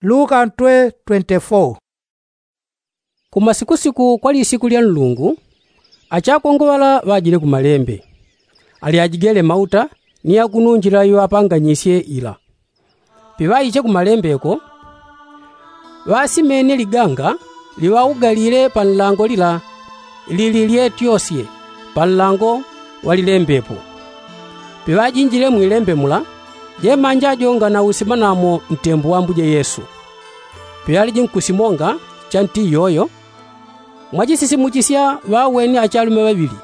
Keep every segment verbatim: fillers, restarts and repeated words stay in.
Luka ntwe twenty four. Kumasikusiku kwa lisiku lya nlungu, achakongwe ŵala ŵajile kumalembe, alyajigele mauta ni yakununjila iŵapanganyisye ila. Piŵaiche kumalembeko, ŵasimene liganga liŵaugalile pa nlango lila lili lyetyosye pa nlango wa lilembepo. Piŵajinjile mwilembe mula, jemanja jo nganausimanamo ntembo wa ambuje yesu. Piŵaliji nkusimonga cha nti iyoyo, mwachisisimuchisya ŵaweni achalume ŵaŵili,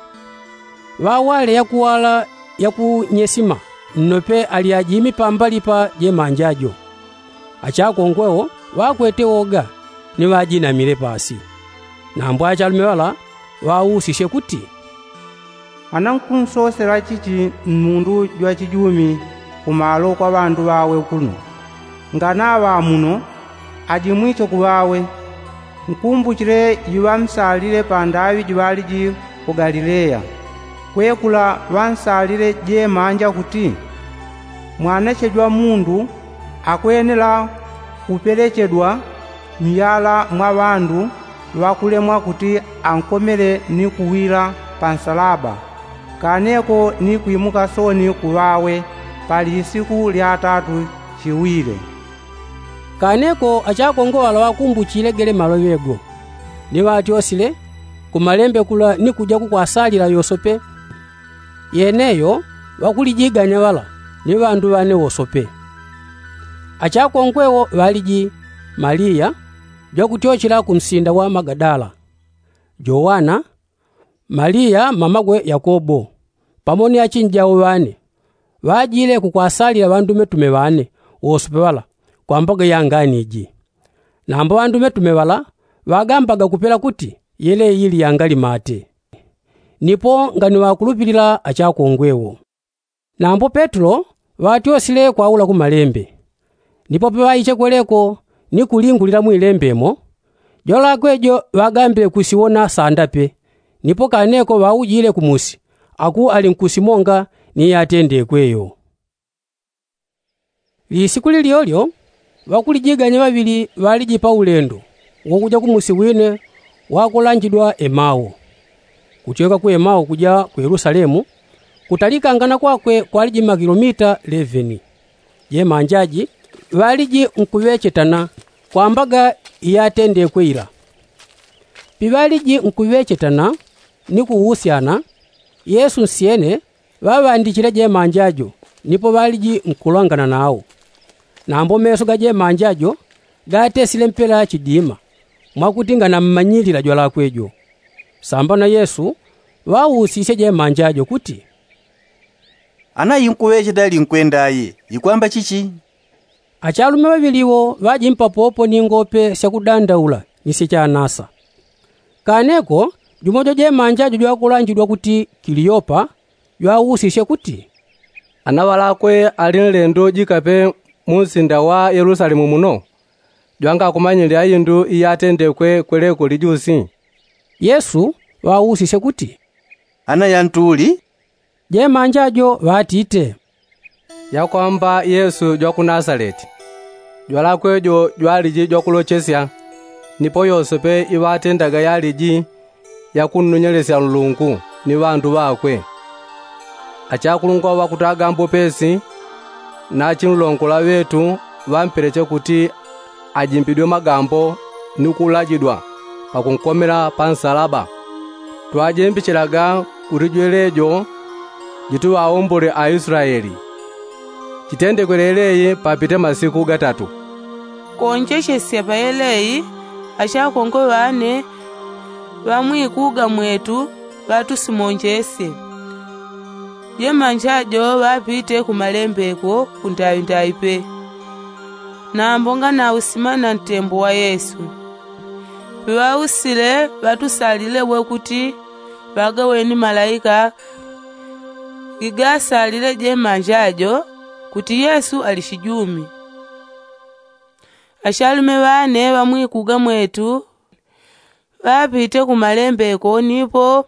ŵawale yakuwala yakunyesima nnope alyajimi pambali pa jemanja jo. Achakongwe wo ŵakwete woga ni ŵajinamile pasi. Nambo achalume ŵala ŵausisye kuti, anankunsosela chichi mmundu jwachijumi kumalo kwa ŵandu ŵawe kuno? Nganaŵa muno, ajimwiche kuŵawe. Nkumbuchile iŵamsalile pandaŵi jiŵaliji ku galileya, kwekula ŵansalile jemanja kuti, mwanachejwa mundu akwenela kupelechedwa myala mwa ŵandu ŵakulemwa kuti ankomele ni kuwila pa nsalaba, kaneko ni kwimuka sooni kuŵawe pa lisiku lya tatu chiwile. Kaneko achakongwe ŵala ŵakumbuchile gele maloŵe go, ni ŵatyosile kumalembe kula ni kuja kukwasalila yosope. Yeneyo ŵakulijiganya ŵala ni ŵandu ŵane wosope. Achakongwe wo ŵaliji, maliya jwakutyochela ku msinda wa magadala, jowana, maliya mamakwe yakobo, pamo ni achinjau ŵane, ŵajile kukwasalila ŵandumetume ŵane wosope ŵala kwa mbaga ya ngani iji. Nambo ŵandumetume ŵala ŵagambaga kupela kuti yeleyi ili yangali mate. Nipo nganiŵakulupilila achakongwe wo. Nambo petulo ŵatyosile kwaula kumalembe. Nipo paŵaiche kweleko ni kulingulila mwilembe mo, jwalakwe jo ŵagambile kusiwona sanda pe. Nipo kaneko ŵaujile kumusi aku ali nkusimonga ni yatendekwe yo. Lisiku lilyolyo ŵakulijiganya ŵaŵili ŵaliji pa ulendo wakuja kumusi wine wakulanjidwa emao. Kutyoka ku emao kuja ku yelusalemu, kutalikangana kwakwe kwaliji makilomita leveni. Jemanja ji ŵaliji nkuŵechetana kwa mbaga iyatendekwe ila. Piŵaliji nkuŵechetana ni kuusyana, yesu nsyene ŵaŵandichile jemanja jo, nipo ŵaliji nkulangana nao. Nambo meso ga jemanja jo gatesile mpela chidima, mwakuti nganammanyilila jwalakwe jo. Sambano yesu ŵausisye jemanja jo kuti, ana inkuŵecheta linkwenda aye ikwamba chichi? Achalume ŵaŵili wo ŵajimpapopo ni ngope syakudandaula ni syachanasa. Kaneko jumo jwa jemanja jo jwakulanjidwa kuti kiliyopa, jwausisye kuti, ana ŵalakwe ali nlendo jikape mu nsinda wa yelusalemu muno, jwangakumanyilila indu iyatendekwe kweleko lijusi? Yesu ŵausisye kuti, ana yantu uli? Jemanja jo ŵatite, yakwamba yesu jwa ku nasaleti. Jwalakwe jo jwaliji jwakulochesya, nipo yosepe iŵatendaga yaliji yakunnonyelesya nlungu ni ŵandu ŵakwe. Achakulungwa ŵakutaga mbopesi na achinlongola ŵetu ŵampeleche kuti ajimbidwe magambo ni kulajidwa pakunkomela pa nsalaba. Twajimbichelaga kuti jwelejo jituŵaombole aislaeli. Chitendekwe leleyi papite masiku gatatu. Konjechesya pa yeleyi, achakongwe ŵane ŵamwikuga mwetu ŵatusimonjesye. Jemanja jo ŵapite kumalembeko kundaŵindaŵi pe. Nambo nganausimana ntembo wa yesu. Piŵausile ŵatusalile we kuti ŵagaweni malaika gigasalile jemanja jo kuti yesu ali chijumi. Achalume ŵane ŵamwikuga mwetu ŵapite kumalembeko nipo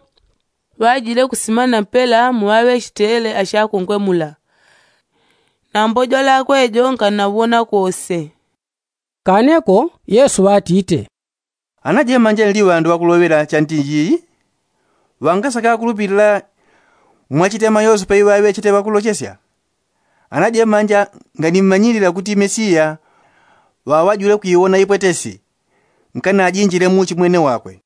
ŵajile kusimana mpela muŵaŵechitele achakongwe mula. Nambo jwalakwe jo nkanaŵona kose. Kaneko yesu ŵatite, ana jemanja nli ŵandu ŵakuloŵela chantinji iyi? Ŵangasaka akulupilila mwachitema yose paiŵaŵechete ŵakulochesya? Ana jemanja nganimmanyilila kuti mesiya ŵaŵajule kwiwona ipwetesi nkanajinjile muchi mwene wakwe.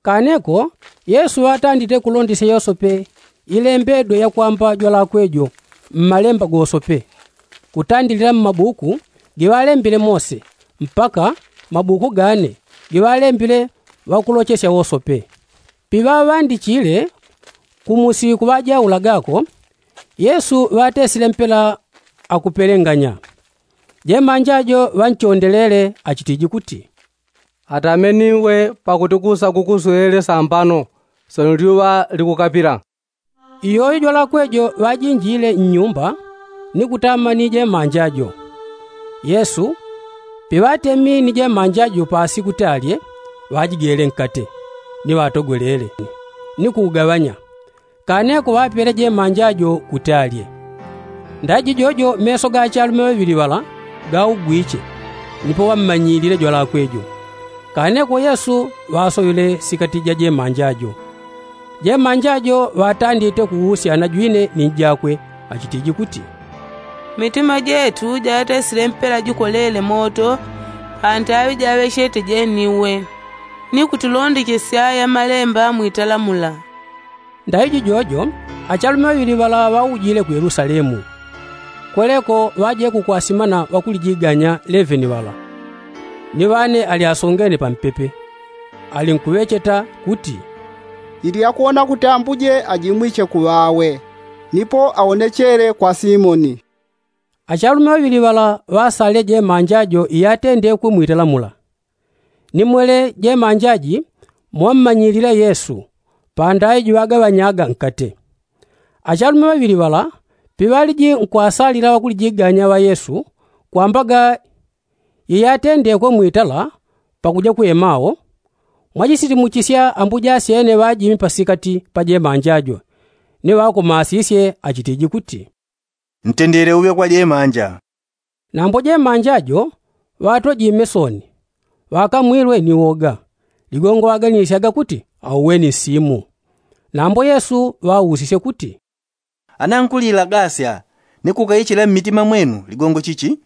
Kaneko yesu ŵatandite kulondesya yosope ilembedwe yakwamba jwalakwe jo mmalemba gosope, kutandilila mmabuku giŵalembile mose mpaka mabuku gane giŵalembile ŵakulochesya wosope. Piŵaŵandichile kumusi kuŵajaula gako, yesu ŵatesile mpela akupelenganya. Jemanja jo ŵanchondelele achitiji kuti, atameniwe pakuti kusa kukuswele sambano sono lyuŵa likukapila. Iyoyo jwalakwe jo ŵajinjile nnyumba ni kutama ni jemanja jo. Yesu piŵatemi ni jemanja jo pasi kuti alye, ŵajigele nkate ni ŵatogwelele ni kuugaŵanya. Kaneko ŵapele jemanja jo kuti alye. Ndaiji jojo meso ga achalume ŵaŵili ŵala gaugwiche, nipo ŵammanyilile jwalakwe jo. Kaneko yesu ŵasoŵile sikati ja jemanja jo. Jemanja jo ŵatandite kuusyana jwine ni njakwe achitiji kuti, mitima jetu jatesile mpela jikolele moto pantaŵi jaŵechete jeniwe, ni kutulondechesya yamalemba mwitala mula. Ndaiji jojo achalume ŵaŵili ŵala ŵaujile ku yelusalemu. Kweleko ŵaje kukwasimana ŵakulijiganya leveni ŵala, ni ŵane ali asongene pampepe. Alinkuŵecheta kuti, ili yakuwona kuti ambuje ajimwiche kuŵawe, nipo awonechele kwa simoni. Achalume ŵaŵili ŵala ŵasalile jemanja jo iyatendekwe mwitala mula. Ni mwele jemanja ji mwammanyilile yesu pandaŵi jiŵagaŵanyaga nkate. Achalume ŵaŵili ŵala piŵaliji nkwasalila ŵakulijiganya ŵa yesu kwambaga yeyatendekwe mwitala pakuja ku emao, mwajisitimuchisya ambuja asyene ŵajimi pasikati pa jemanja jo ni ŵakomasisye achitiji kuti, ntendele uŵe kwa jemanja. Nambo jemanja jo ŵatojime soni, ŵakamwilwe ni woga, ligongo ŵaganisyaga kuti auweni nsimu. Nambo yesu ŵausisye kuti, ana nkulilagasya ni kukaichila mmitima mwenu ligongo chichi?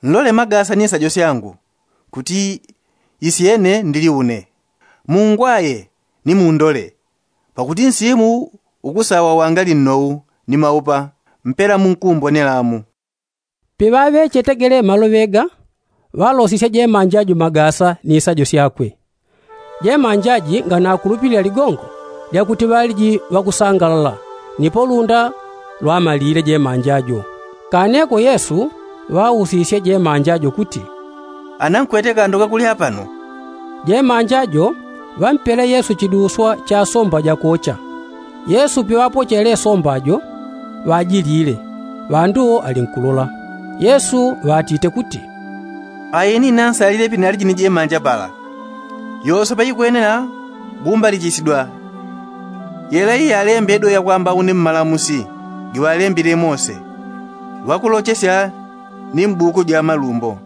Nlole magasa ni nsajo syangu kuti isyene ndili une. Mungwaye ni mundole, pakuti nsimu ukusawa wangali nnou ni maupa mpela munkumbonelamu. Piŵaŵechetegele maloŵe ga, ŵalosisye jemanja jo magasa ni nsajo syakwe. Jemanja ji nganakulupilila ligongo lyakuti ŵaliji ŵakusangalala, nipo lunda lwamalile jemanja jo. Kaneko yesu ŵausisye jemanja jo kuti, ana nkwete kando kakulya pano? Jemanja jo ŵampele yesu chiduswa cha somba jakocha. Yesu piŵapochele somba jo, ŵajilile, ŵandu wo alinkulola. Yesu ŵatite kuti, aeni nansalile pinaliji ni jemanja pala. Yosope ikwenela gumbalichisidwa yela iyalembedwe yakwamba une mmalamusi giŵalembile mose, ŵakulochesya ni mbuku ja malumbo.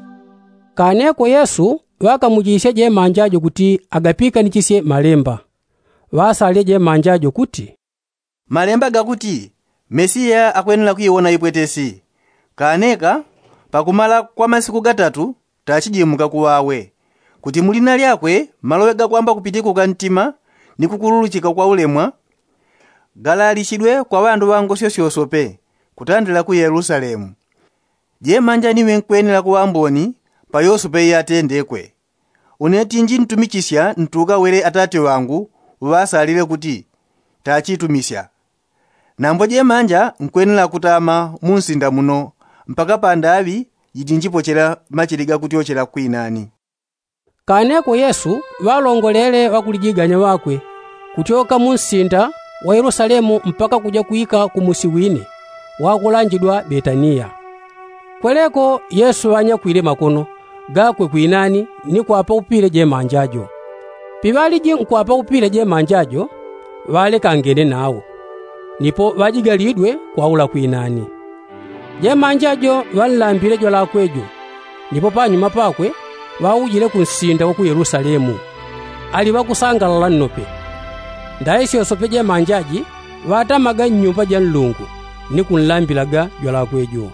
Kaneko yesu ŵakamuchisye jemanja jo kuti agapiikanichisye malemba. Ŵasalile jemanja jo kuti, malemba gakuti mesiya akwenela kwiwona ipwetesi. Kaneka pakumala kwa masiku gatatu tachijimuka kuŵawe, kuti mulina lyakwe maloŵe gakwamba kupitikuka ntima ni kukululuchika kwa ulemwa galalichidwe kwa ŵandu ŵa ngosyo syosope kutandila ku yelusalemu. Jemanja niwe nkwenela kuŵa mboni pa yosope iyatendekwe. Une tinji ntumichisya ntuka wele atate ŵangu uŵasalile kuti tachitumisya. Nambo jemanja nkwenela kutama mu nsinda muno mpaka pandaŵi jitinjipochela machili gakutyochela kwinani. Kaneko yesu ŵalongolele ŵakulijiganya ŵakwe kutyoka mu nsinda wa yelusalemu mpaka kuja kwika ku musi wine wakulanjidwa betaniya. Kweleko yesu ŵanyakwile makono gakwe kwinani ni kwapaupile jemanja jo. Piŵaliji nkwapaupile jemanja jo, ŵalekangene nawo, nipo ŵajigalidwe kwaula kwinani. Jemanja jo ŵanlambile jwalakwe jo, Ndipo panyuma pakwe ŵaujile kunsinda wa ku yelusalemu. Ali ŵakusangalala nnope. Ndaisyosope ja manjaji ŵatamaga nnyumba ja nlungu ni kunlambilaga jwalakwe jo.